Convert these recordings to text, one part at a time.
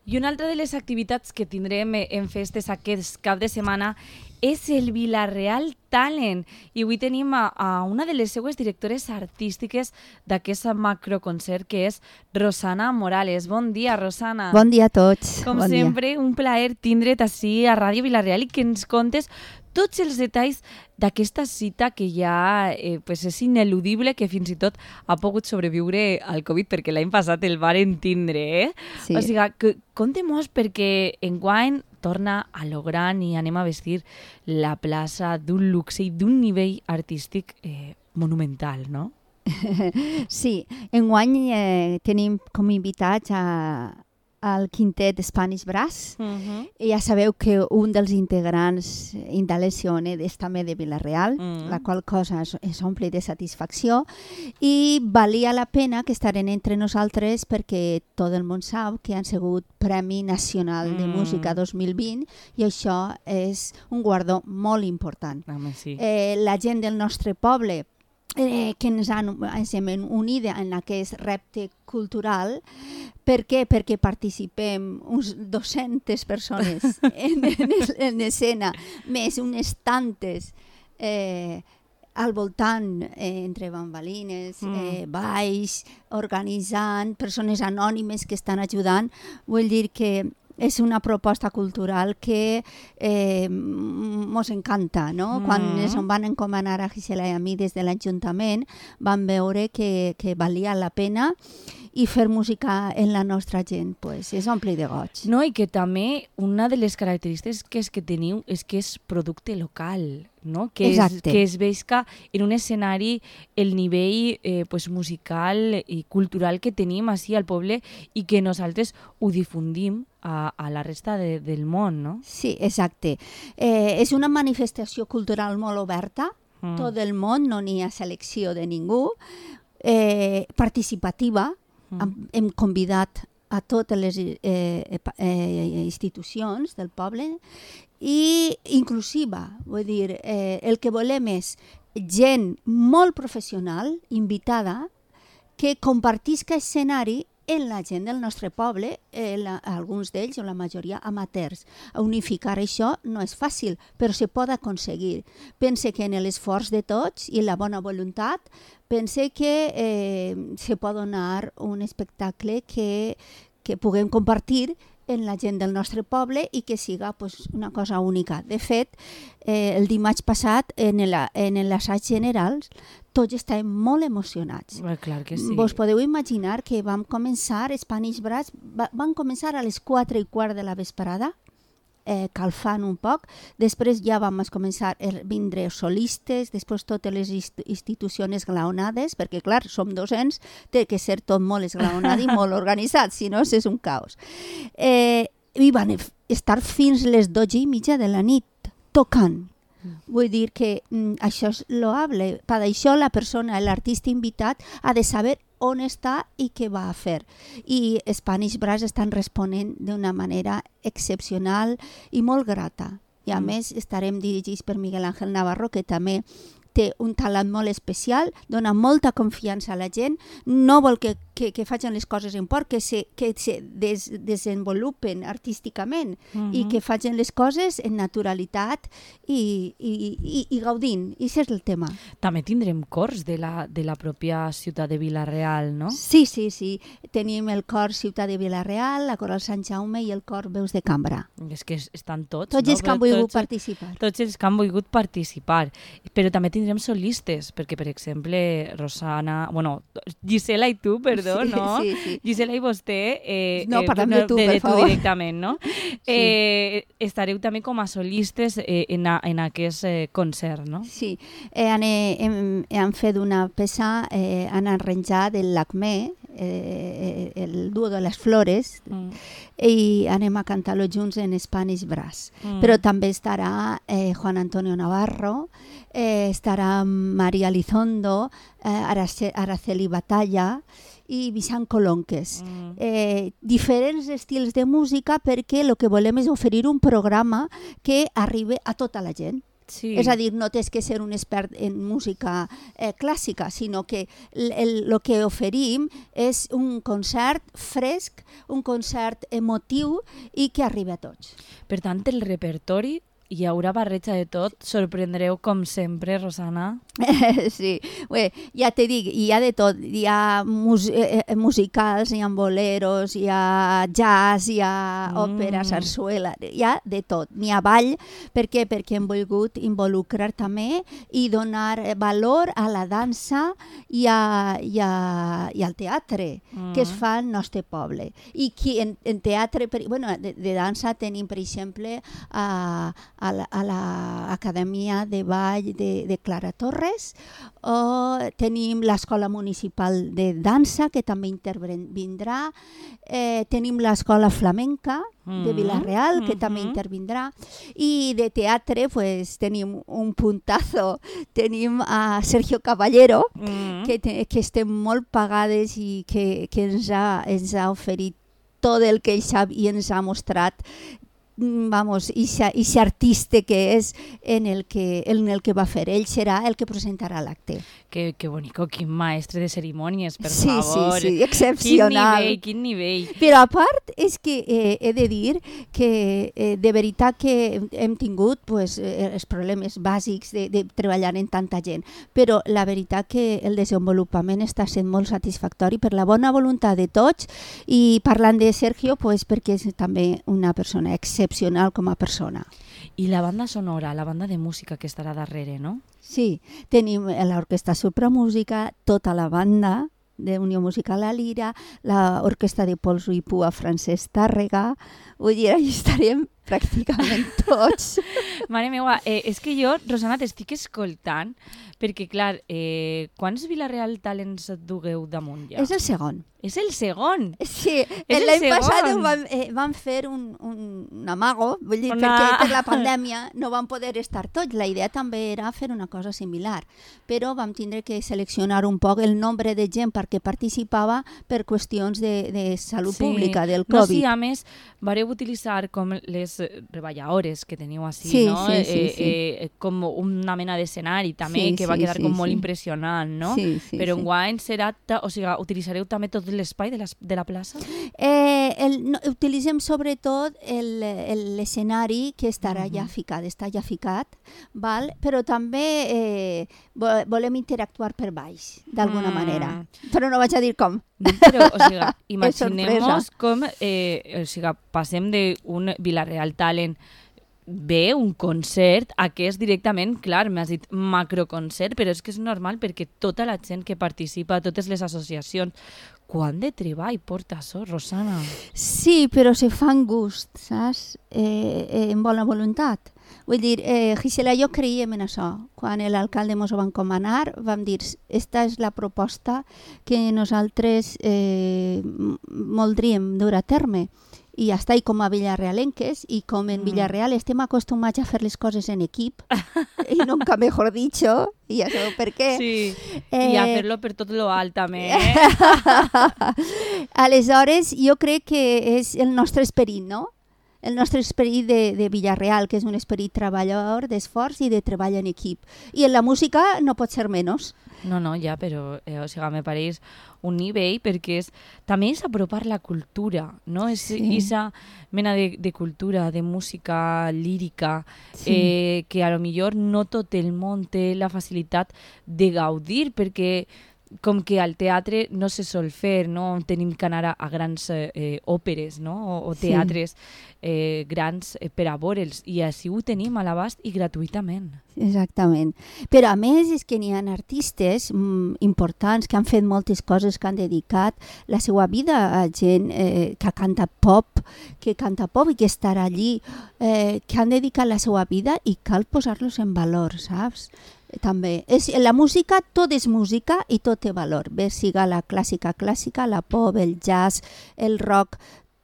I una altra de les activitats que tindrem en festes aquest cap de setmana és el Vila-real Talent. I avui tenim a una de les seues directores artístiques d'aquest macroconcert, que és Rosana Morales. Bon dia, Rosana. Bon dia a tots. Com sempre, un plaer tindre't ací a Ràdio Vila-real i que ens contes tots els detalls d'aquesta cita que ja és ineludible, que fins i tot ha pogut sobreviure al Covid, perquè l'any passat el varen tindre. Sí. O sigui, conte-mos, perquè enguany torna a lo gran i anem a vestir la plaça d'un luxe i d'un nivell artístic monumental, no? Sí, enguany tenim com invitats al quintet Spanish Brass. Ja sabeu que un dels integrants indaleciones és també de Vila-real, la qual cosa és omple de satisfacció, i valia la pena que estaren entre nosaltres perquè tot el món sap que han sigut Premi Nacional de Música 2020 i això és un guardó molt important. Sí. La gent del nostre poble que ens hem unit en aquest repte cultural. Per què? Perquè participem uns 200 persones en escena, més unes tantes al voltant, entre bambalines, balls, organitzant, persones anònimes que estan ajudant. Vull dir que és una proposta cultural que mos encanta, no? Quan ens van encomanar a Gisela i a mi des de l'Ajuntament, vam veure que valia la pena i fer música en la nostra gent, pues, és omple de goig. No, i que també una de les característiques que teniu és que és producte local, no? Que es veig en un escenari el nivell musical i cultural que tenim així al poble i que nosaltres ho difundim a la resta del món, no? Sí, exacte. És una manifestació cultural molt oberta, tot el món, no n'hi ha selecció de ningú, participativa. Hem convidat a totes les institucions del poble i inclusiva. Vull dir, el que volem és gent molt professional, invitada, que compartisca escenari en la gent del nostre poble, alguns d'ells o la majoria amateurs. Unificar això no és fàcil, però se pot aconseguir. Pense que en l'esforç de tots i la bona voluntat, pense que se pot donar un espectacle que puguem compartir en la gent del nostre poble i que siga una cosa única. De fet, el dimarts passat, en l'assaig general, tots estàvem molt emocionats. Clar que sí. Vos podeu imaginar que vam començar, Spanish Brass, van començar a les 4:15 de la vesprada, calfant un poc. Després ja vam començar a vindre solistes, després totes les institucions esglaonades, perquè clar, som 200, té que ser tot molt esglaonat i molt organitzat, si no és un caos. I van estar fins les 12:30 de la nit, tocant. Vull dir que això és loable. Per això la persona, l'artista invitat, ha de saber on està i què va a fer. I Spanish Brass estan responent d'una manera excepcional i molt grata. I a més estarem dirigits per Miguel Ángel Navarro, que també té un talent molt especial, dona molta confiança a la gent, no vol que facin les coses en por, que se desenvolupen artísticament i que facin les coses en naturalitat i gaudint. I això és el tema. També tindrem cors de la pròpia ciutat de Vila-real, no? Sí. Tenim el cor Ciutat de Vila-real, la coral Sant Jaume i el cor Veus de Cambra. És que estan tots, Tots els que han volgut participar. Tots els que han volgut participar. Però també tindrem solistes, perquè, per exemple, Rosana... Gisela i tu, perdó, no? Sí. Gisela i vostè... No, parlem de tu, per favor. Directament, no? Sí. Estareu també com a solistes en aquest concert, no? Sí. Han fet una peça, han arranjat el Lacmé, el duo de les flores, i anem a cantar-lo junts en Spanish Brass. Però també estarà Juan Antonio Navarro, estarà María Elizondo, Araceli Batalla i Vicent Colonques. Diferents estils de música perquè el que volem és oferir un programa que arribi a tota la gent. Sí. És a dir, no tens que ser un expert en música clàssica, sinó que el que oferim és un concert fresc, un concert emotiu i que arriba a tots. Per tant, el repertori hi haurà barreja de tot. Sorprendreu, com sempre, Rosana. Sí, bé, ja te dic, hi ha de tot. Hi ha musicals, hi ha boleros, hi ha jazz, hi ha òpera, sarsuela, hi ha de tot. N'hi ha ball. Per què? Perquè hem volgut involucrar també i donar valor a la dansa i al teatre que es fa al nostre poble. I en teatre, de dansa tenim, per exemple, a l'Acadèmia de Ball de Clara Torres, o tenim l'Escola Municipal de Dansa, que també intervindrà, tenim l'Escola Flamenca de Vila-real, que també intervindrà, i de teatre pues, tenim un puntazo, tenim a Sergio Caballero, que estem molt pagades i que ens ha oferit tot el que ell sap i ens ha mostrat ese artista que és en el que va fer. Ell serà el que presentarà l'acte. Que bonico, quin maestre de cerimònies, per favor. Sí, excepcional. Quin nivell. Però a part és que he de dir que de veritat que hem tingut els problemes bàsics de treballar en tanta gent, però la veritat que el desenvolupament està sent molt satisfactori per la bona voluntat de tots, i parlant de Sergio perquè és també una persona excepcional com a persona. I la banda sonora, la banda de música que estarà darrere, no? Sí, tenim l'Orquestra Supramúsica, tota la banda de Unió Musical La Lira, l'Orquestra de Polso i Pua Francesc Tàrrega, vull dir, allà estarem pràcticament tots. Mare meva, és que jo, Rosana, t'estic escoltant, perquè, clar, quants Vila-real Talents et dugueu damunt ja? És el segon. És el segon? Sí, l'any passat vam fer un amago, vull dir, perquè per la pandèmia no vam poder estar tots. La idea també era fer una cosa similar, però vam tindre que seleccionar un poc el nombre de gent perquè participava per qüestions de salut pública, del Covid. No, sí, a més, vareu utilitzar com les reballadores que teniu així, no? Com una mena d'escenari també, que va quedar com molt impressionant, no? Però enguany serà, o sigui, utilitzareu també tot l'espai de la plaça? Utilitzem sobretot l'escenari que estarà ja ficat, està ja ficat, però també volem interactuar per baix, d'alguna manera. Però no vaig a dir com. Però, o sigui, imaginem-nos com, o sigui, passem d'un Vila-real Talent bé, un concert, a que és directament, clar, m'has dit macroconcert, però és que és normal perquè tota la gent que participa, totes les associacions, quant de treball porta això, Rosana? Sí, però se fan gust, saps? En bona voluntat. Vull dir, Gisela, jo creiem en això. Quan l'alcalde ens ho va encomanar, vam dir, esta és la proposta que nosaltres voldríem dur a terme. I ja està, i com a villarealenques, i com en Villarreal estem acostumats a fer les coses en equip, i nunca mejor dicho, i ja sabeu per què. Sí, i a fer-lo per tot lo alt també. Aleshores, jo crec que és el nostre esperit, no? El nostre esperit de Villarreal, que és un esperit treballador, d'esforç i de treball en equip. I en la música no pot ser menys. No, ja, però o sigui, me pareix un nivell perquè també és apropar la cultura, no? És aquesta mena de cultura, de música lírica, que a lo millor no tot el món té la facilitat de gaudir, perquè com que al teatre no se sol fer, no? Tenim que anar a grans òperes, no? O teatres grans per a veure'ls, i així ho tenim a l'abast i gratuïtament. Exactament. Però a més és que n'hi ha artistes importants que han fet moltes coses, que han dedicat la seva vida a gent que canta pop i que estarà allí, que han dedicat la seva vida i cal posar-los en valor, saps? També. La música, tot és música i tot té valor. Bé, siga la clàssica, la pop, el jazz, el rock,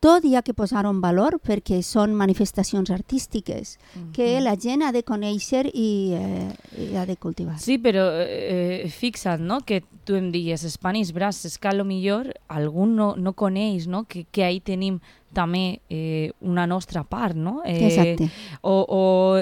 tot hi ha que posar en valor perquè són manifestacions artístiques que la gent ha de conèixer i ha de cultivar. Sí, però fixa't, no?, que tu em digues Spanish Brass, és que a lo millor algú no coneix, no?, que ahí tenim també una nostra part, no? Exacte. O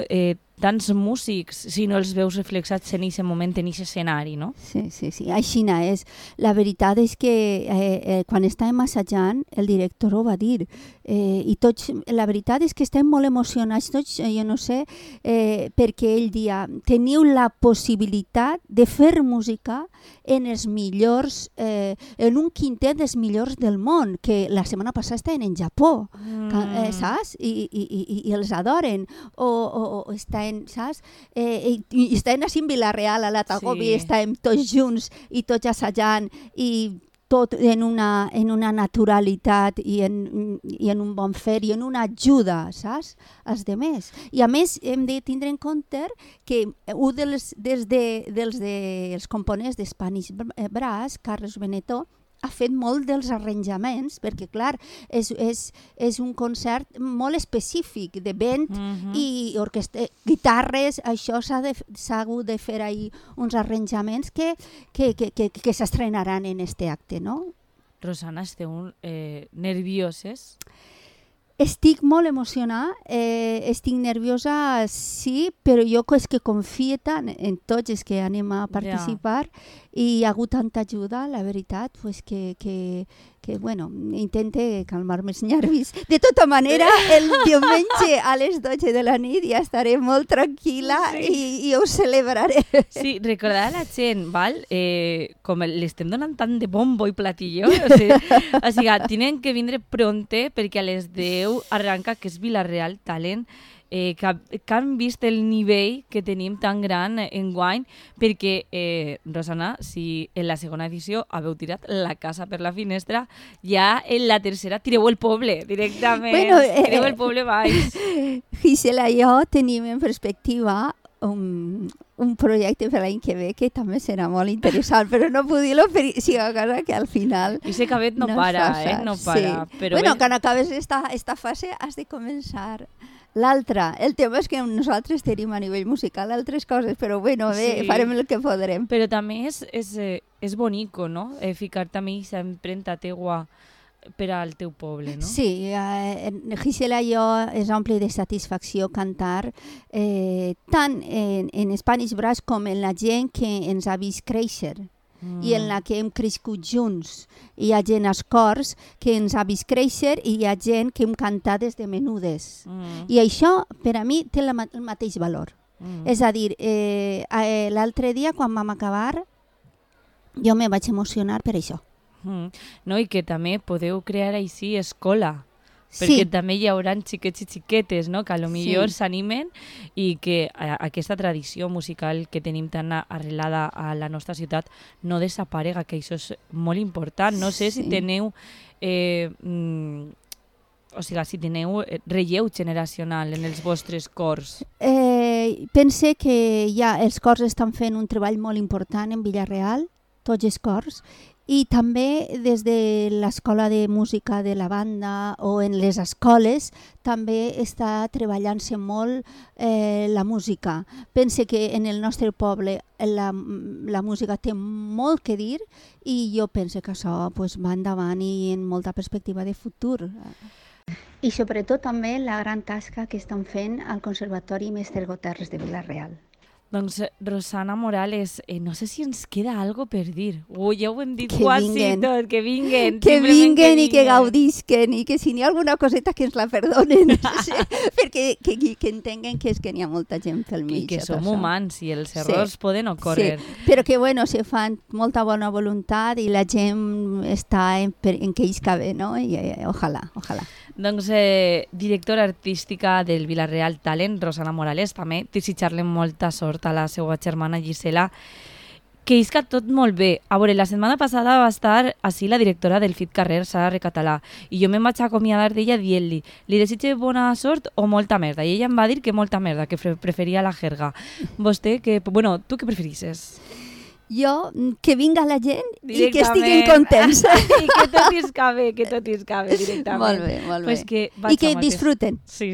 tants músics si no els veus reflexats en aquest moment, en aquest escenari, no? Sí, així és. La veritat és que quan estàvem assajant, el director ho va dir, i tots, la veritat és que estem molt emocionats tots, jo no sé, perquè ell dia, teniu la possibilitat de fer música en els millors, en un quintet dels millors del món, que la setmana passada estaven en Japó, saps? I els adoren, o estaven, saps? I estaven així en Vila-real, a la Tagobi, estàvem tots junts i tots assajant, i tot en una naturalitat i en un bon fer i en una ajuda, saps? Als demés. I a més hem de tindre en compte que un dels components d'Spanish Brass, Carlos Benetó, ha fet molt dels arranjaments, perquè, clar, és un concert molt específic de vent i guitarres, això s'ha hagut de fer ahir uns arranjaments que s'estrenaran en este acte, no? Rosana, esteu nervioses? Estic molt emocionada, estic nerviosa, sí, però jo és que confio tant en tots els que anem a participar i hi ha hagut tanta ajuda, la veritat, pues que bueno, intente calmar-me els nervis. De tota manera, el diumenge a les 12 de la nit ja estaré molt tranquil·la i ho celebraré. Sí, recordar a la gent, val? Com l'estem donant tant de bombo i platilló, o sigui, tenen que vindre pronte perquè a les 10 arranca, que és Vila-real Talent, que han vist el nivell que tenim tan gran enguany, perquè, Rosana, si en la segona edició haveu tirat la casa per la finestra, ja en la tercera tireu el poble directament, tireu el poble baix. Gisela i jo tenim en perspectiva un projecte per l'any que ve que també serà molt interessant, però no puc dir-lo per si a casa que al final i ese cabet no para, no para. Sí. Però bueno, quan acabes esta fase has de començar l'altra. El tema és que nosaltres tenim a nivell musical altres coses, però bueno, bé, farem el que podrem. Però també és bonico, no? Ficar també aquesta empremta teua per al teu poble, no? Sí, Gisela i jo és ompli de satisfacció cantar tant en Spanish Brass com en la gent que ens ha vist créixer i en la que hem crescut junts. Hi ha gent als cors que ens ha vist créixer i hi ha gent que hem cantat des de menudes. I això, per a mi, té el mateix valor. És a dir, l'altre dia, quan vam acabar, jo me vaig emocionar per això. No, i que també podeu crear així escola, perquè també hi haurà xiquets i xiquetes, no? Que potser s'animen i que aquesta tradició musical que tenim tan arrelada a la nostra ciutat no desaparega, que això és molt important. No sé si teniu si teniu relleu generacional en els vostres cors. Pense que els cors estan fent un treball molt important en Vila-real, tots els cors, i també des de l'escola de música de la banda o en les escoles també està treballant-se molt la música. Pense que en el nostre poble la música té molt que dir i jo penso que això va endavant i en molta perspectiva de futur. I sobretot també la gran tasca que estan fent al Conservatori Mestre Goterres de Vila-real. Doncs, Rosana Morales, no sé si ens queda algo per dir. Ja ho hem dit quasi tot, que vinguen. Que vinguen i que gaudisquen i que si n'hi ha alguna coseta que ens la perdonen. Perquè que entenguen que és que n'hi ha molta gent pel mig. I que som humans i els errors poden ocórrer. Sí, però que bueno, se fan molta bona voluntat i la gent està en que ells cabe, no? I ojalà. Doncs, directora artística del Vila-real Talent, Rosana Morales, també desitjar-li molta sort a la seva germana Gisela, que isca tot molt bé. A veure, la setmana passada va estar així la directora del FIT Carrer, Sara Recatalà, i jo me'n vaig acomiadar d'ella dient-li desitge bona sort o molta merda, i ella em va dir que molta merda, que preferia la jerga. Vostè, tu què preferisses? Jo, que vinga la gent i que estiguin contents. I que tot isca bé directament. Molt bé. Pues I que disfruten. Sí.